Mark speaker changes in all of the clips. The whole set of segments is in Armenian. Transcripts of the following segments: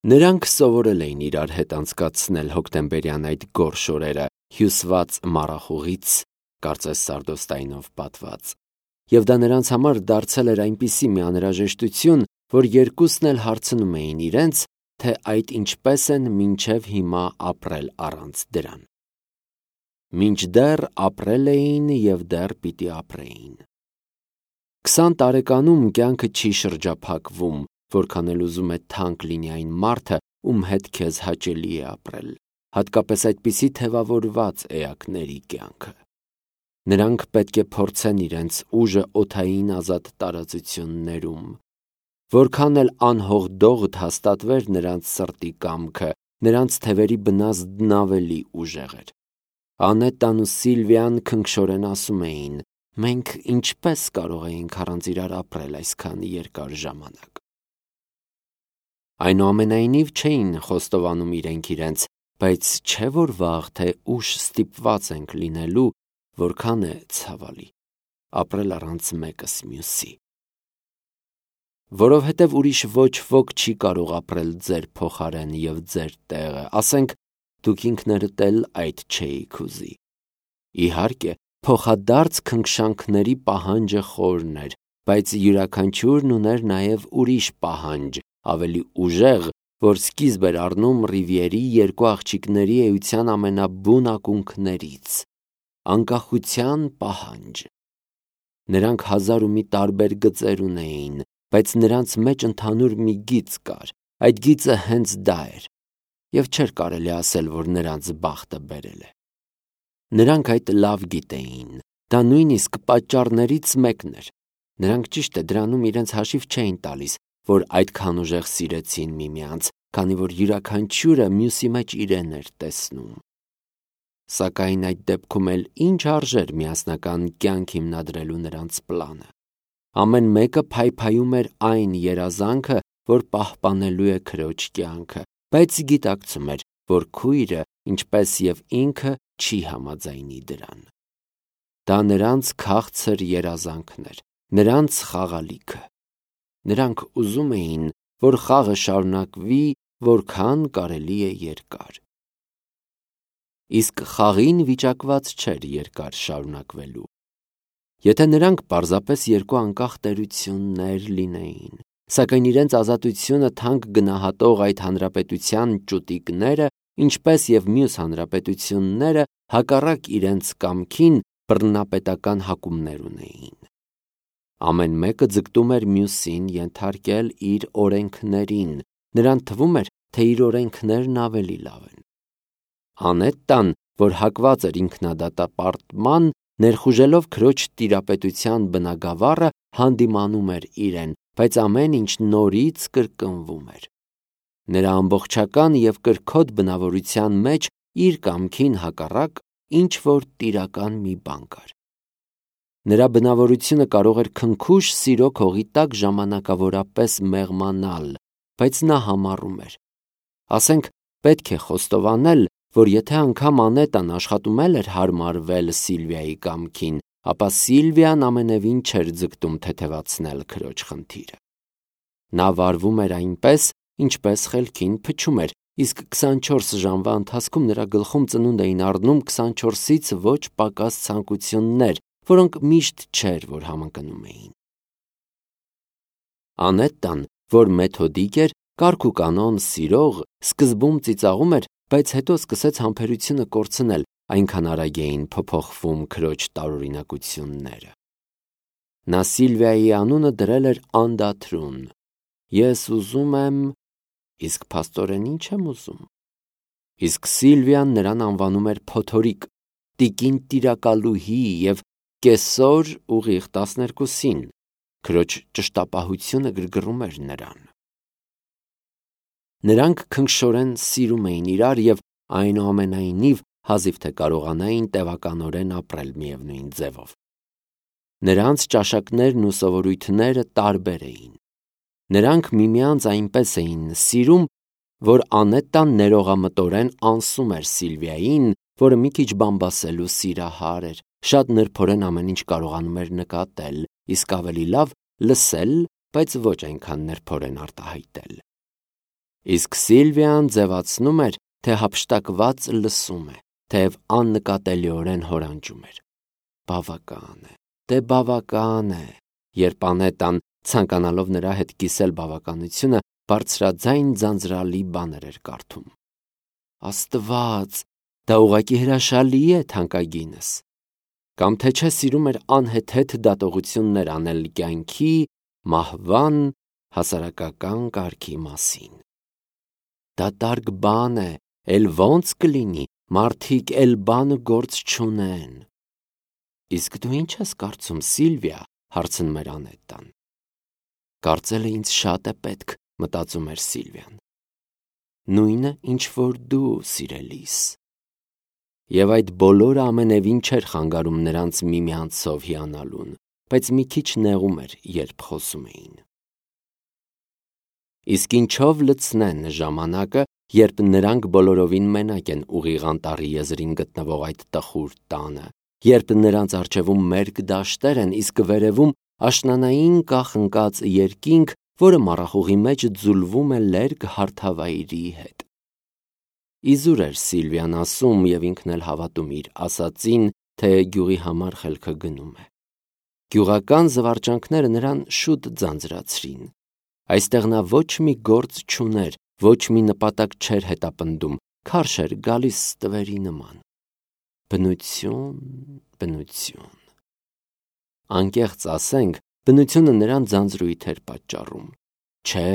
Speaker 1: Նրանք սովորել էին իրար հետ անցկացնել հոկտեմբերյան այդ գորշ օրերը, հյուսված մառախուղից, կարծես սարդոստայնով պատված, և դա նրանց համար դարձել էր այնպիսի մի անհրաժեշտություն, որ երկուսն էլ հարցնում էին իրենց, թե այդ ինչպես են մինչև հիմա ապրել առանց դրան։ Մինչդեռ ապրել էին և դեռ պիտի ապրեին։ 20 տարեկանում կյանքը չի շրջափակվում, որքան էլ ուզում է թանկ լինի այն մարդը, ում հետ քեզ հաճելի է ապրել, հատկապես այդպիսի թևավորված էակների կյանքը։ Նրանք պետք է փորձեն իրենց ուժը օդային ազատ տարածություններում։ Որքան էլ անհողդողդ հաստատվեր նրանց սրտի կամքը, նրանց թևերի բնազդն ավելի ուժեղ էր։ Անետան ու Սիլվիան քնքշորեն ասում էին. «Մենք ինչպես կարող էինք առանց իրար ապրել այսքան երկար ժամանակ»։ Այնուամենայնիվ չէին խոստովանում իրենք իրենց, բայց չէ՞ որ վաղ թե ուշ ստիպված ենք լինելու, որքան է ցավալի, ապրել առանց մեկս մյուսի։ Որովհետև ուրիշ ոչ ոք չի կարող ապրել ձեր փոխարեն և ձեր տեղը, ասենք, դուք ինքներդ էլ այդ չէիք ուզի։ Իհարկե, փոխադարձ քնքշանքների պահանջը խորն էր, բայց յուրաքանչյուրն ուներ նաև ուրիշ պահանջ, ավելի ուժեղ, որ սկիզբ էր առնում Ռիվիերի երկու աղջիկների էության ամենաբուն ակունքներից՝ անկախության պահանջ։ Նրանք հազար ու մի տարբեր գծեր ունեին, բայց նրանց մեջ ընդհանուր մի գիծ կար, այդ գիծը հենց դա էր, և չէր կարելի ասել, որ նրանց բախտը բերել է։ Նրանք այդ լավ գիտեին, դա նույնիսկ պատճառներից մեկն էր։ Նրանք ճիշտ է դրանում իրենց հաշիվ չէին տալիս, որ այդքան ուժեղ սիրեցին միմյանց, քանի որ յուրաքանչյուրը մյուսի մեջ իրեն էր տեսնում։ Սակայն այդ դեպքում էլ ինչ արժեր միասնական կյանք հիմնադրելու նրանց պլանը։ Ամեն մեկը փայփայում էր այն երազանքը, որ պահպանելու է քրոջ կյանքը, բայց գիտակցում էր, որ քույրը, ինչպես և ինքը, չի համաձայնի դրան։ Դա նրանց քաղցր երազանքն էր, նրանց խաղալիքը։ Նրանք ուզում էին, որ խաղը շարունակվի որքան կարելի է երկար։ Իսկ խաղին վիճակված չէր երկար շարունակվելու։ Եթե նրանք պարզապես երկու անկախ տերություններ լինեին, սակայն իրենց ազատությունը թանկ գնահատող այդ հանրապետության ճուտիկները, ինչպես և մյուս հանրապետությունները, հակառակ իրենց կամքին բռնապետական հակումներ ունեին։ Ամեն մեկը ձգտում էր մյուսին ենթարկել իր օրենքներին, նրան թվում էր, թե իր օրենքներն ավելի լավ են։ Անետտան, որ հակված էր ինքնադատապարտման, ներխուժելով քրոջ տիրապետության բնագավառը, հանդիմանում էր իրեն, բայց ամեն ինչ նորից կրկնվում էր։ Նրա ամբողջական և կրքոտ բնավորության մեջ իր կամքին հակառակ ինչ-որ տիրական մի բան կար։ Նրա բնավորությունը կարող էր քնքուշ սիրո քողի տակ ժամանակավորապես մեղմանալ, բայց նա համառում էր։ Ասենք, պետք է խոստովանել, որ եթե անգամ Անետան աշխատում էր հարմարվել Սիլվիայի կամքին, ապա Սիլվիան ամենևին չէր ձգտում թեթևացնել քրոջ խնդիրը։ Նա վարվում էր այնպես, ինչպես խելքին փչում էր, իսկ 24 ժամվա ընթացքում նրա գլխում ծնունդ էին առնում 24-ից ոչ պակաս ցանկություններ, որոնք միշտ չէր, որ համընկնում էին։ Անետտան, որ մեթոդիկ էր, կարգուկանոն սիրող, սկզբում ծիծաղում էր, բայց հետո սկսեց համբերությունը կորցնել, այնքան արագ էին փոփոխվում քրոջ տարօրինակությունները։ Նա Սիլվիայի անունը դրել էր անդադրուն։ Ես ուզում եմ, իսկ փաստորեն ինչ եմ ուզում։ Իսկ Սիլվիան նրան անվանում էր փոթորիկ, տիկին տիրակալուհի և կեսօր ուղիղ 12-ին, քրոջ ճշտապահությունը գրգռում էր նրան։ Նրանք քնքշորեն սիրում էին իրար և այնուամենայնիվ հազիվ թե կարողանային տևականորեն ապրել միևնույն ձևով։ Նրանց ճաշակներն ու սովորույթները տարբեր էին։ Նրանք միմյանց այնպես էին սիրում, որ Անետտան ներողամտորեն անսում էր Սիլվիային, որը մի քիչ բամբասելու սիրահար էր, շատ նրբորեն ամեն ինչ կարողանում էր նկատել, իսկ ավելի լավ՝ լսել, բայց ոչ այնքան նրբորեն արտահայտել։ Իսկ Սիլվիան ձևացնում էր, թե հափշտակված լսում է, թեև աննկատելիորեն հորանջում էր։ Բավական է, դե բավական է։ Երբ Անետան, ցանկանալով նրա հետ կիսել բավականությունը, բարձրաձայն ձանձրալի բաներ էր կարդում։ Աստված, դա ուղղակի հրաշալի է, թանկագինս։ Կամ թե չէ սիրում էր անհեթեթ դատողություններ անել կյանքի, մահվան, հասարակական կարգի մասին։ Դատարկ բան է, էլ ոնց կլինի, մարդիկ էլ բան գործ չունեն։ Իսկ դու ինչ ես կարծում, Սիլվիա, հարցնում էր Անետան։ Կարծելը ինձ շատ է պետք, մտածում էր Սիլվիան։ Նույնը, ինչ որ դու, սիրելիս։ Եվ այդ բոլորը ամենևին չէր խանգարում նրանց միմյանցով հիանալուն, բայց մի քիչ նեղում էր, երբ խոսում էին։ Իսկ ինչով լցնեն ժամանակը, երբ նրանք բոլորովին մենակ են ուղիղ անտառի եզրին գտնվող այդ տխուր տանը, երբ նրանց առջևում մերկ դաշտեր են, իսկ վերևում աշնանային կախնկած երկինք, որը մառախուղի մեջ ձուլվում է լերկ հարթավայրի հետ։ Իզուր էր Սիլվիան ասում և ինքն էլ հավատում իր ասածին, թե գյուղի համար խելքը գնում է։ Գյուղական զվարճանքները նրան շուտ ձանձրացրին։ Այստեղ նա ոչ մի գործ չուներ, ոչ մի նպատակ չէր հետապնդում, քարշ էր գալիս ստվերի նման։ Բնություն։ Անկեղծ ասենք, բնությունը նրան ձանձրույթ էր պատճառում։ Չէ,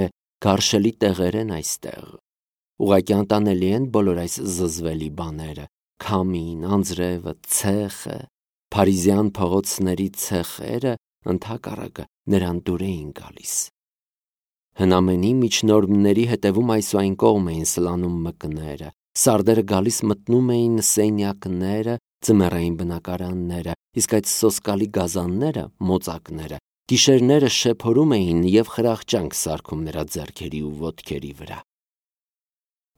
Speaker 1: գարշելի տեղեր են այստեղ։ Ուղղակի անտանելի են բոլոր այս զզվելի բաները, քամին, անձրևը, ցեխը, փարիզյան փողոցների ցեխերը, ընդհակառակը նրան դուր էին գալիս։ Հնամենի միջնորմների հետևում այս ու այն կողմ էին սլանում մկները, սարդերը գալիս մտնում էին սենյակները, ձմեռային բնակարանները, իսկ այդ սոսկալի գազանները, մոծակները, գիշերները շեփորում էին և խրախճանք սարքում նրա ձեռքերի ու ոտքերի վրա։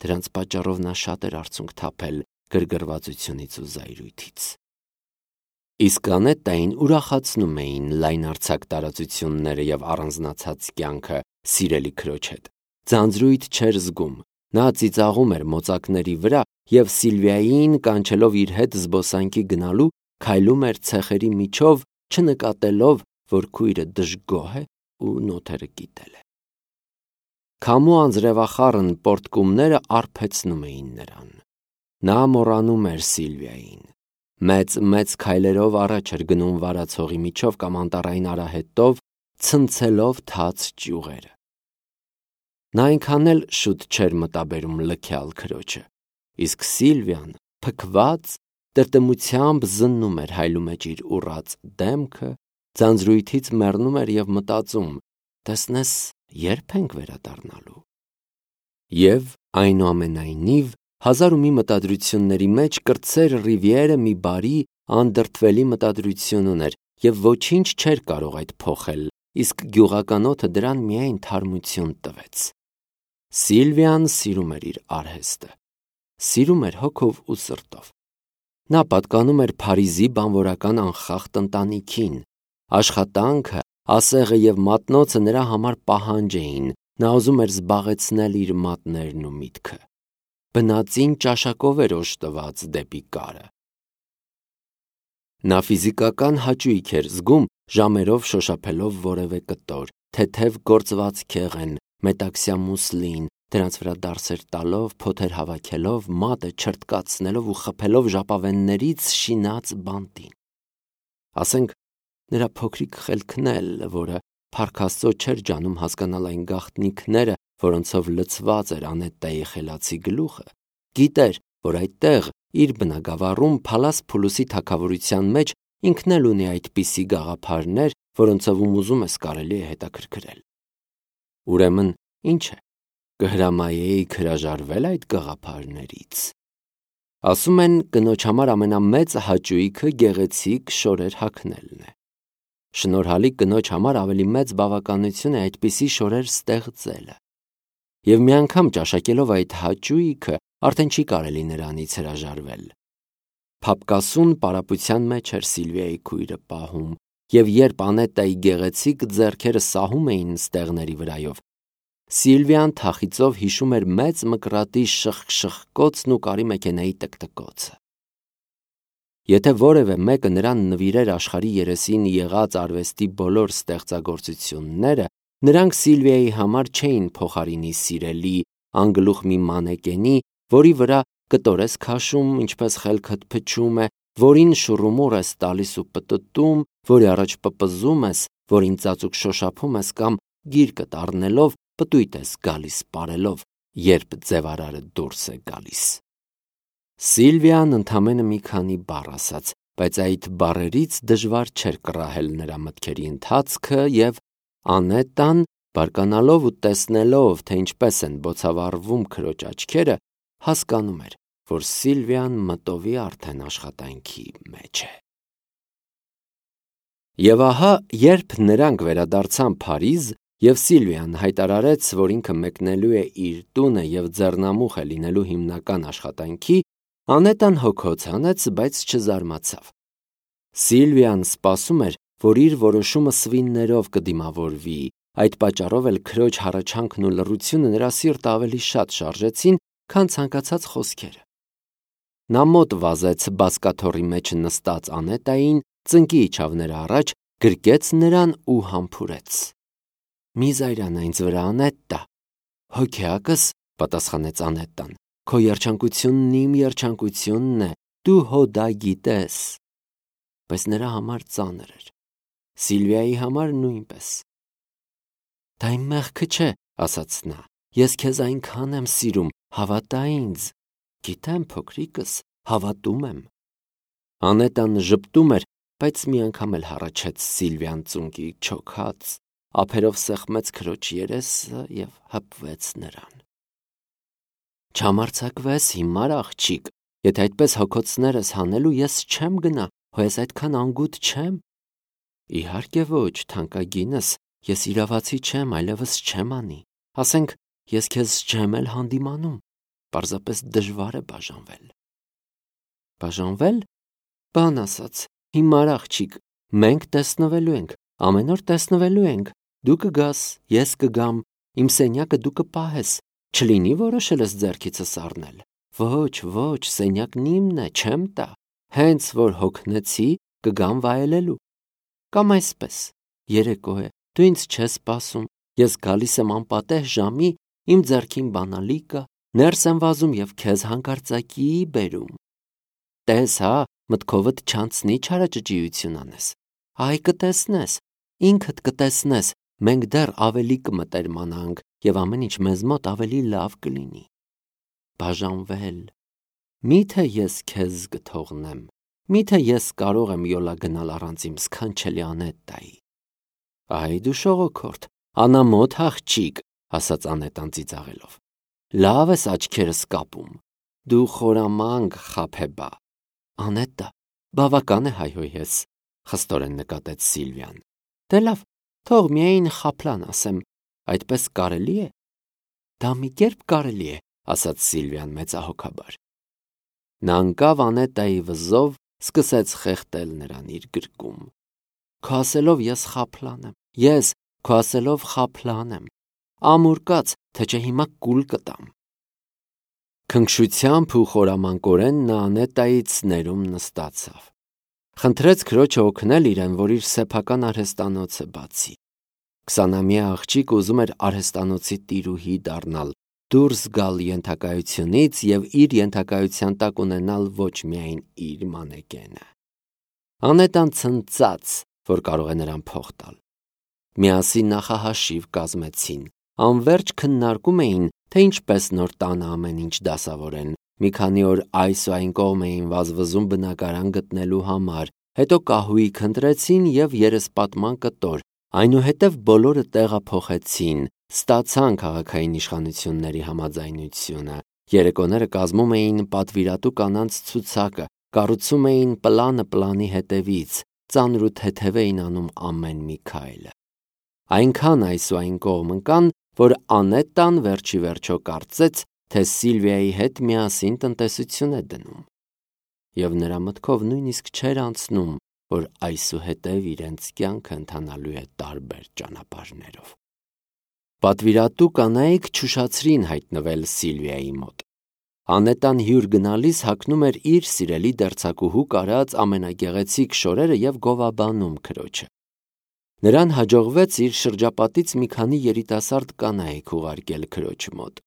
Speaker 1: Դրանց պատճառով նա շատ էր արցունք թափել գրգռվածությունից ու զայրույթից։ Իսկ Անետային ուրախացնում էին լայնարձակ տարածությունները և առանձնացած կյանքը սիրելի քրոջ հետ։ Ձանձրույթ չէր զգում, նա ծիծաղում էր մոծակների վրա և Սիլվիային կանչելով իր հետ զբոսանքի գնալու, քայլում էր ցեխերի միջով, չնկատելով, որ քույրը դժգոհ է ու նոթերը կիտել է։ Քամու անձրևախառն պոռթկումները արբեցնում էին նրան։ Նա մոռանում էր Սիլվիային։ Մեծ քայլերով առաջ էր գնում վարացողի միջով կամ անտառային արահետով, ցնցելով թաց ճյուղերը։ Նա այնքան էլ շուտ չէր մտաբերում լքյալ քրոջը, իսկ Սիլվիան, փքված, տրտմությամբ զննում էր հայլու մեջ իր ուռած դեմքը, ձանձրույթից մեռնում էր և մտածում. տեսնես, ե՞րբ ենք վերադառնալու։ Եվ, այնուամենայնիվ, հազար ու մի մտադրությունների մեջ կրտսեր Ռիվիերը մի բարի, անդրդվելի մտադրություն ուներ և ոչինչ չէր կարող այդ փոխել, իսկ գյուղական օդը դրան միայն թարմություն տվեց։ Սիլվիան սիրում էր իր արհեստը, սիրում էր հոգով ու սրտով։ Նա պատկանում էր Փարիզի բանվորական անխախտ ընտանիքին։ Աշխատանքը, ասեղը և մատնոցը նրա համար պահանջ էին, նա ուզում էր զբաղեցնել իր մատներն ու միտքը։ Բնածին ճաշակով էր օժտված դեպի կարը։ Նա ֆիզիկական հաճույք էր զգում ժամերով շոշափելով որևէ կտոր, թեթև գործված քեղեն, մետաքսյա մուսլին, դրանց վրա դարսեր տալով, փոթեր հավաքելով, մատը չրտկացնելով ու խփելով ժապավեններից շինած բանտին։ Ասենք, նրա փոքրիկ խելքն էլ, որը փառք Աստծո չէր ջանում հասկանալ այն գաղտնիքները, որոնցով լցված էր Անետայի խելացի գլուխը, գիտեր, որ այդտեղ, իր բնակավարում, Փալաս Փուլուսի թագավորության մեջ ինքն էլ ունի այդպիսի գաղափարներ, որոնցով ուզում ես կարելի է հետաքրքրել։ Ուրեմն, ինչ է, կհրամայեիք հրաժարվել այդ գաղափարներից։ Ասում են, կնոջ համար ամենամեծ հաճույքը գեղեցիկ շորեր հագնելն է։ Շնորհալի կնոջ համար ավելի մեծ բավականություն է այդպիսի շորեր ստեղծելը։ Եվ մի անգամ ճաշակելով այդ հաճույքը, արդեն չի կարելի նրանից հրաժարվել։ Փափկասուն պարապության մեջ էր Սիլվիայի քույրը պահում, և երբ Անետայի գեղեցիկ ձեռքերը սահում էին ստեղների վրայով, Սիլվիան թախիծով հիշում էր մեծ մկրատի շխկշխկոցն ու կարի մեքենայի տկտկոցը։ Եթե որևէ մեկը նրան նվիրեր աշխարհի երեսին եղած արվեստի բոլոր ստեղծագործությունները, նրանք Սիլվիայի համար չէին փոխարինի սիրելի, անգլուխ մի մանեկենի, որի վրա կտոր ես քաշում, ինչպես խելքդ փչում է, որին շուռումուռ ես տալիս ու պտտում, որի առաջ պպզում ես, որին ծածուկ շոշափում ես կամ գիրկդ առնելով պտույտ ես գալիս պարելով, երբ ձևարարը դուրս է գալիս։ Սիլվիան ընդամենը մի քանի բառ ասաց, բայց այդ բառերից դժվար չէր կռահել նրա մտքերի ընթացքը և Անետան, բարկանալով ու տեսնելով, թե ինչպես են բոցավառվում քրոջ աչքերը, հասկանում էր, որ Սիլվիան մտովի արդեն աշխատանքի մեջ է։ Եվ ահա, երբ նրանք վերադարձան Փարիզ, և Սիլվիան հայտարարեց, որ ինքը մեկնելու է իր տունը և ձեռնամուխ է լինելու հիմնական աշխատանքի, Անետան հոգոց հանեց, բայց չզարմացավ։ Սիլվիան սպասում էր, որ իր որոշումը սվիններով կդիմավորվի, այդ պատճառով էլ քրոջ հառաչանքն ու լռությունը նրա սիրտը ավելի շատ շարժեցին, քան ցանկացած խոսքերը։ Նա մոտ վազեց բազկաթոռի մեջ նստած Անետային, ծնկի իջավ նրա առաջ, գրկեց նրան ու համբուրեց։ «Մի զայրան ինձ վրա, Անետտա»։ «Հոգեակս», պատասխանեց Անետտան, «քո երջանկությունն իմ երջանկությունն է, դու հո դա գիտես»։ Բայց նրա համար ծանր էր, Սիլվիայի համար նույնպես։ «Դա իմ մեղքը չէ», ասաց նա, «ես քեզ այնքան եմ սիրում, հավատա ինձ»։ «Գիտեմ, փոքրիկս, հավատում եմ»։ Անետան ժպտում էր, բայց մի անգամ էլ հառաչեց Սիլվիան ծունկի չոքած, ափերով սեղմեց քրոջ երեսը և հպվեց նրան։ «Չհամարձակվես, հիմար աղջիկ, եթե այդպես հոգոցներս հանելու ես չեմ գնա, հո ես այդքան անգութ չեմ»։ «Իհարկե ոչ, թանկագինս, ես իրավացի չեմ, այլևս չեմ անի, ասենք, ես քեզ չեմ էլ հանդիմանում, պարզապես դժվար է բաժանվել»։ Բաժանվե՞լ, բան ասած, հիմար աղջիկ, մենք տեսնվելու ենք, ամեն օր տեսնվելու ենք, դու կգաս, ես կգամ, իմ սենյակը դու կպահես, չլինի որոշել ես ձեռքիցս առնել։ Ոչ, սենյակն իմն է, չեմ տա, հենց որ հոգնեցի, կգամ վայելելու։ Կամ այսպես, երեկո է, դու ինձ չես սպասում, ես գալիս եմ անպատեհ ժամի, իմ ձեռքին բանալի կա, ներս եմ վազում և քեզ հանկարծակի բերում։ Տես հա, մտքովդ չանցնի չարաճճիություն անես։ Այ կտեսնես, ինքդ կտեսնես, մենք դեռ ավելի կմտերմանանք և ամեն ինչ մեզ մոտ ավելի լավ կլինի։ Բաժանվել։ Միթե ես քեզ կթողնեմ, միթե ես կարող եմ յոլա գնալ առանց իմ սքանչելի Անետտայի։ Այ դու շողոքորթ, անամոթ աղջիկ, ասաց Անետան ծիծաղելով։ Լավ ես աչքերս կապում, դու խորամանկ խաբեբա։ Անետտա, բավական է հայհոյես, խստորեն նկատեց Սիլվիան։ Դե լավ, թող միայն խաբլան ասեմ, այդպես կարելի է։ Դա մի կերպ կարելի է, ասաց Սիլվիան մեծահոգաբար։ Նա ընկավ Անետայի վզով, սկսեց խեղդել նրան իր գրկում։ Քո ասելով ես խաբլան եմ, ես քո ասելով խաբլան եմ, ամուր կաց, թե չէ հիմա կուլ կտամ։ Քնքշությամբ ու խորամանկորեն նա Անետայից ներում նստացավ։ Խնդրեց քրոջը օգնել իրեն, որ իր սեփական արհեստանոցը բացի։ 20-ամյա աղջիկ ուզում էր արհեստանոցի տիրուհի դառնալ, դուրս գալ ենթակայությունից և իր ենթակայության տակ ունենալ ոչ միայն իր մանեկենը։ Անետան ցնծաց, որ կարող է նրան փող տալ։ Միասին նախահաշիվ կազմեցին, անվերջ քննարկում էին, թե ինչպես նոր տանը ամեն ինչ դասավորեն, մի քանի օր այս ու այն կողմ էին վազվզում բնակարան գտնելու համար, հետո կահույք ընտրեցին և երեսպատման կտոր, այնուհետև բոլորը տեղափոխեցին, ստացան քաղաքային իշխանությունների համաձայնությունը, երեկոները կազմում էին պատվիրատու կանանց ցուցակը, կառուցում էին պլանը պլանի հետևից, ծանր ու թեթև էին անում ամեն մի քայլը։ Այնքան այս ու այն կողմ ընկան, որ Անետան վերջի վերջո կարծեց, թե Սիլվիայի հետ միասին տնտեսություն է դնում։ Եվ նրա մտքով նույնիսկ չէր անցնում, որ այսուհետև իրենց կյանքը ընթանալու է տարբեր ճանապարհներով։ Պատվիրատու կանայք չուշացրին հայտնվել Սիլվիայի մոտ։ Անետան հյուր գնալիս հագնում էր իր սիրելի դերձակուհու կարած ամենագեղեցիկ շորերը և գովաբանում քրոջը։ Նրան հաջողվեց իր շրջապատից մի քանի երիտասարդ կանայք ուղարկել քրոջ մոտ։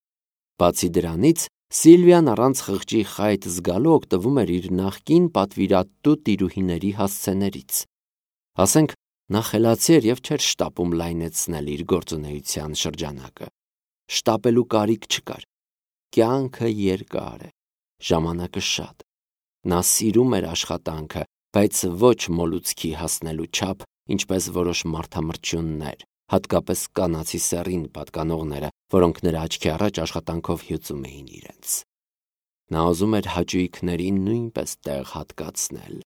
Speaker 1: Բացի դրանից, Սիլվիան առանց խղճի խայտ զգալու օգտվում էր իր նախկին պատվիրատու տիրուհիների հասցեներից։ Ասենք, նա խելացի էր և չէր շտապում լայնացնել իր գործունեության շրջանակը։ Շտապելու կարիք չկար։ Կյանքը երկար է, ժամանակը շատ։ Նա սիրում էր աշխատանքը, բայց ոչ մոլուցքի հասնելու չափ, ինչպես որոշ մարդամրջյուններ, հատկապես կանացի սեռին պատկանողները, որոնք նրա աչքի առաջ աշխատանքով հյուծում էին իրենց։ Նա ուզում էր հաճույքներին նույնպես տեղ հատկացնել։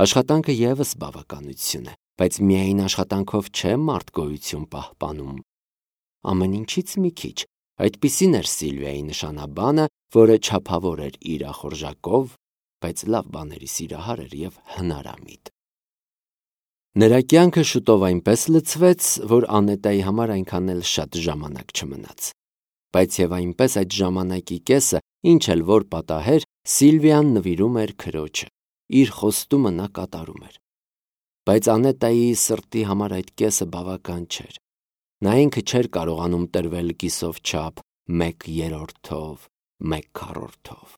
Speaker 1: Աշխատանքը ևս բավականություն է, բայց միայն աշխատանքով չէ մարդ գոյություն պահպանում։ Ամեն ինչից մի քիչ, այդպիսին էր Սիլվիայի նշանաբանը, որը չափավոր էր իրախորժակով, բայց լավ բաների սիրահար էր և հնարամիտ։ Նրա կյանքը շուտով այնպես լցվեց, որ Անետայի համար այնքան էլ շատ ժամանակ չմնաց։ Բայց և այնպես այդ ժամանակի կեսը, ինչ էլ որ պատահեր, Սիլվիան նվիրում էր քրոջը, իր խոստումը նա կատարում էր։ Բայց Անետայի սրտի համար այդ կեսը բավական չէր։ Նա ինքը չէր կարողանում տրվել կիսով չափ 1/3-ով, 1/4-ով։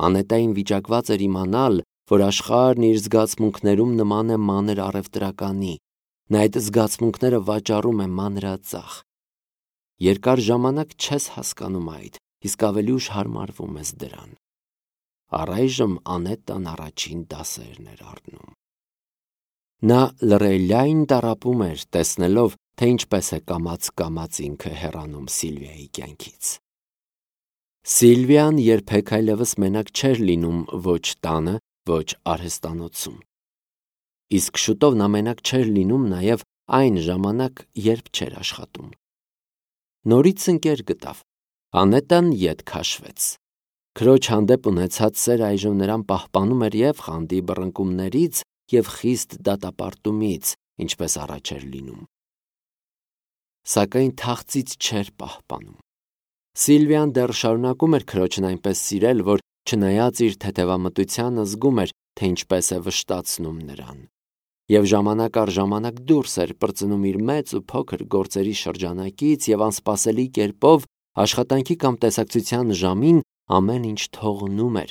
Speaker 1: Անետային վիճակված էր իմանալ, որ աշխարհն իր զգացմունքներում նման է մանր առևտրականի, նա այդ զգացմունքները վաճառում է մանրածախ։ Երկար ժամանակ չես հասկանում այդ, իսկ ավելի ուշ հարմարվում ես դրան։ Առայժմ Անետան առաջին դասերն էր առնում։ Նա լռելյայն տառապում էր, տեսնելով, թե ինչպես է կամաց ինքը հեռանում Սիլվիայի կյանքից։ Սիլվիան երբեք այլևս մենակ չէր լինում ոչ տանը, ոչ արհեստանոցում։ Իսկ շուտով նա մենակ չէր լինում նաև այն ժամանակ, երբ չէր աշխատում։ Նորից ընկեր գտավ։ Անետան ետ քաշվեց։ Քրոջ հանդեպ ունեցած սերը այժմ նրան պահպանում էր և խանդի բռնկումներից, և խիստ դատապարտումից, ինչպես առաջ էր լինում։ Սակայն թախծից չէր պահպանում։ Սիլվիան դեռ շարունակում էր քրոջն այնպես սիրել, որ չնայած իր թեթևամտությանը զգում էր, թե ինչպես է վշտացնում նրան, և ժամանակ առ ժամանակ դուրս էր պրծնում իր մեծ ու փոքր գործերի շրջանակից և անսպասելի կերպով աշխատանքի կամ տեսակցության ժամին ամեն ինչ թողնում էր,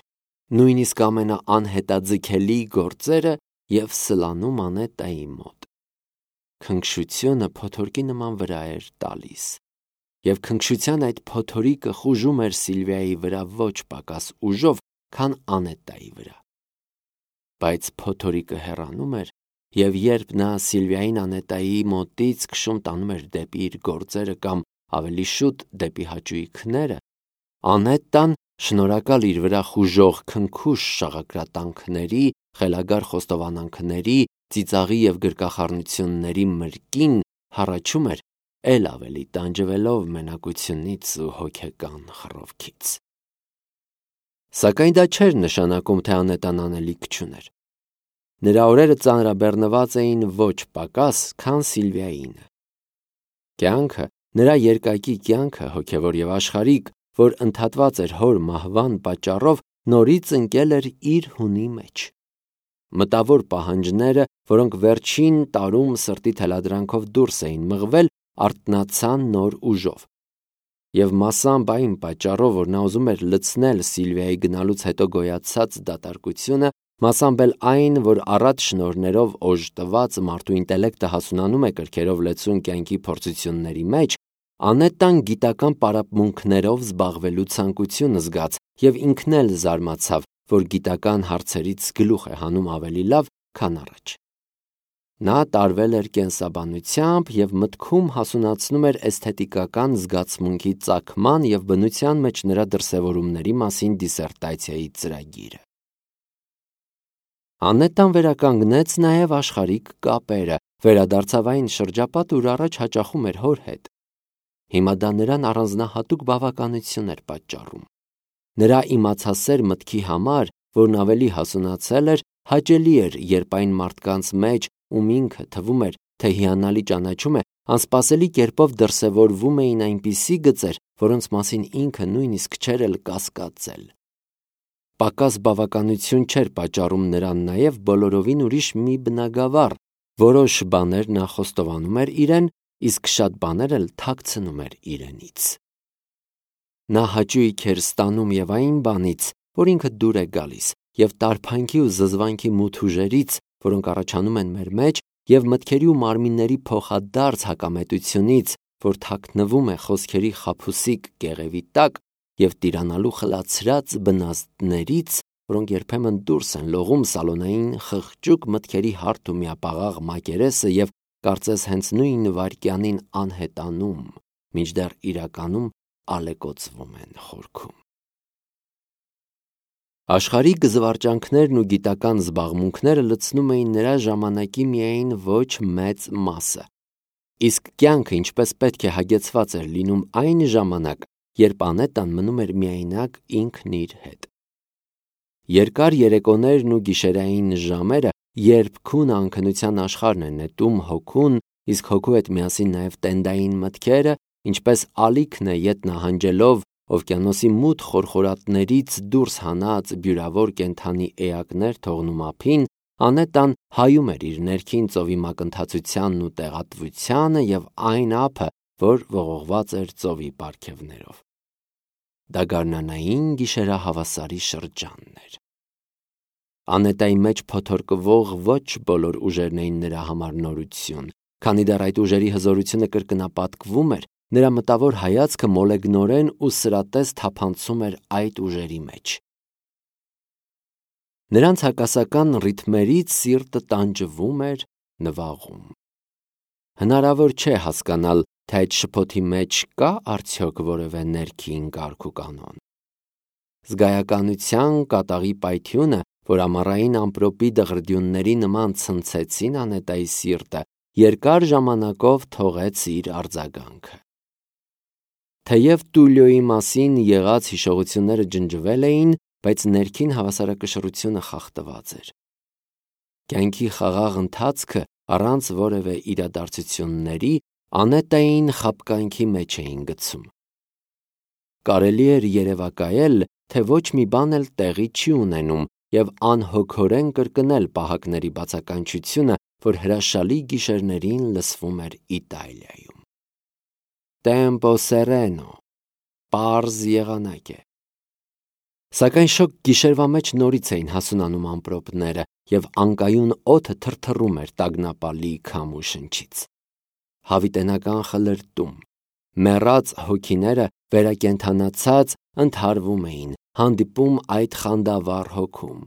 Speaker 1: նույնիսկ ամենաանհետաձգելի գործերը, և սլանում Անետայի մոտ։ Քնքշությունը փոթորկի նման վրա էր տալիս, և քնքշության այդ փոթորիկը խուժում էր Սիլվիայի վրա ոչ պակաս ուժով, քան Անետայի վրա։ Բայց փոթորիկը հեռանում էր, և երբ նա Սիլվիային Անետայի մոտից քշում տանում էր դեպի իր գործերը կամ ավելի շուտ դեպի հաճույքները, Անետան, շնորհակալ իր վրա խուժող քնքուշ շաղակրատանքների, խելագար խոստովանանքների, ծիծաղի և գրկախառնությունների մրկին, հառաչում էր, էլ ավելի տանջվելով մենակությունից ու հոգեկան խռովքից։ Սակայն դա չէր նշանակում, թե Անետան անելիք չուներ։ Նրա օրերը ծանրաբեռնված էին ոչ պակաս, քան Սիլվիայինը։ Կյանքը, նրա երկակի կյանքը, հոգևոր և աշխարհիկ, որ ընդհատված էր հոր մահվան պատճառով, նորից ընկել էր իր հունի մեջ։ Մտավոր պահանջները, որոնք վերջին տարում սրտի թելադրանքով դուրս էին մղվել, արթնացան նոր ուժով։ Եվ մասամբ այն պատճառով, որ նա ուզում էր լցնել Սիլվիայի գնալուց հետո գոյացած դատարկությունը, մասամբ էլ այն, որ առատ շնորհներով օժտված մարդու ինտելեկտը հասունանում է կրքերով լեցուն կյանքի փորձությունների մեջ, Անետան գիտական պարապմունքներով զբաղվելու ցանկություն զգաց և ինքն էլ զարմացավ, որ գիտական հարցերից գլուխ է հանում ավելի լավ, քան առաջ։ Նա տարվել էր կենսաբանությամբ և մտքում հասունացնում էր էսթետիկական զգացմունքի ծագման և բնության մեջ նրա դրսևորումների մասին դիսերտացիայի ծրագիրը։ Անետան վերականգնեց նաև աշխարհիկ կապերը, վերադարձավ այն շրջապատը, ուր առաջ հաճախում էր հոր հետ։ Հիմա դա նրան առանձնահատուկ բավականություն էր պատճառում։ Նրա իմացասեր մտքի համար, որն ավելի հասունացել էր, հաճելի էր, երբ այն մարդկանց մեջ, ում ինքը թվում էր, թե հիանալի ճանաչում է, անսպասելի կերպով դրսևորվում էին այնպիսի գծեր, որոնց մասին ինքը նույնիսկ չէր էլ կասկածել։ Պակաս բավականություն չէր պատճառում նրան նաև բոլորովին ուրիշ մի բնագավառ, որոշ բաներ նա խոստովանում էր իրեն, իսկ շատ բաներ էլ թաքցնում էր իրենից։ Նա հաճույք էր ստանում և այն բանից, որ ինքը դուր է գալիս, և տարփանքի ու զզվանքի մութ ուժերից, որոնք առաջանում են մեր մեջ, և մտքերի ու մարմինների փոխադարձ հակամետությունից, որ թաքնվում է խոսքերի խաբուսիկ կեղևի տակ, և տիրանալու խլացրած բնազդներից, որոնք երբեմն դուրս են լողում սալոնային խղճուկ մտքերի հարթ ու միապաղաղ մակերեսը և կարծես հենց նույն վայրկյանին անհետանում, մինչդեռ իրականում ալեկոծվում են խորքում։ Աշխարհիկ զվարճանքներն ու գիտական զբաղմունքները լցնում էին նրա ժամանակի միայն ոչ մեծ մասը, իսկ կյանքը ինչպես պետք է հագեցված էր լինում այն ժամանակ, երբ Անետան մնում էր միայնակ ինքն իր հետ։ Երկար երեկոներն ու գիշերային ժամերը, երբ քուն անքնության աշխարհն է նետում հոգուն, իսկ հոգու հետ միասին նաև տենդային մտքերը, ինչպես ալիքն է ետ նահանջելով օվկիանոսի մութ խորխորատներից դուրս հանած բյուրավոր կենդանի էակներ թողնում ափին, Անետան հայում էր իր ներքին ծովի մակընթացությանն ու տեղատվությանը և այն ափը, որ ողողված էր ծովի պարգևներով։ Դա գարնանային գիշերահավասարի շրջանն էր։ Անետայի մեջ փոթորկվող ոչ բոլոր ուժերն էին նրա համար նորություն, քանի դեռ այդ ուժերի հզորությունը կրկնապատկվում էր, նրա մտավոր հայացքը մոլեգնորեն ու սրատես թափանցում էր այդ ուժերի մեջ։ Նրանց հակասական ռիթմերից սիրտը տանջվում էր, նվաղում։ Հնարավոր չէ հասկանալ, թե այդ շփոթի մեջ կա արդյոք որևէ ներքին կարգ ու կանոն։ Զգայականության կատաղի պայթյունը, որ ամառային ամպրոպի դղրդյունների նման ցնցեցին Անետայի սիրտը, երկար ժամանակով թողեց իր արձագանքը։ Թեև Տուլիոյի մասին եղած հիշողությունները ջնջվել էին, բայց ներքին հավասարակշռությունը խախտված էր։ Կյանքի խաղաղ ընթացքը առանց որևէ իրադարձությունների Անետային խաբկանքի մեջ էին գցում։ Կարելի էր երևակայել, թե ոչ մի բան էլ տեղի չի ունենում և անհոգորեն կրկնել պահակների բացականչությունը, որ հրաշալի գիշերներին լսվում էր Իտալիայում։ Տեմպո սերենո, պարզ եղանակ է։ Սակայն շոգ գիշերվա մեջ նորից էին հասունանում ամպրոպները, և անկայուն օդը թրթռում էր տագնապալի քամու շնչից։ Հավիտենական խլրտում, մեռած հոգիները վերակենդանացած ընդհարվում էին, հանդիպում այդ խանդավառ հոգում։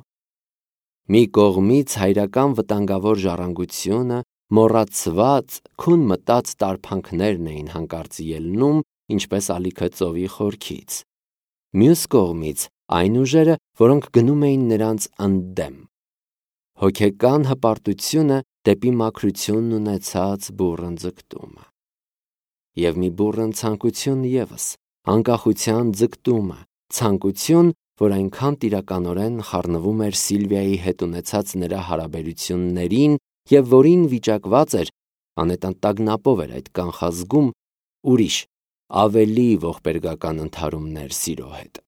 Speaker 1: Մի կողմից հայրական վտանգավոր ժառանգությունը, մոռացված, քուն մտած տարփանքներն էին հանկարծ ելնում, ինչպես ալիքը ծովի խորքից։ Մյուս կողմից այն ուժերը, որոնք գնում էին նրանց ընդդեմ։ Հոգեկան հպարտությունը դեպի մաքրությունն ունեցած բուռն ձգտումը։ Եվ մի բուռն ցանկություն ևս, անկախության ձգտումը, ցանկություն, որ այնքան տիրականորեն խառնվում էր Սիլվիայի հետ ունեցած նրա հարաբերություններին և որին վիճակված էր, Անետան տագնապով էր այդ կանխազգում, ուրիշ, ավելի ողբերգական ընդհարումներ սիրո հետ։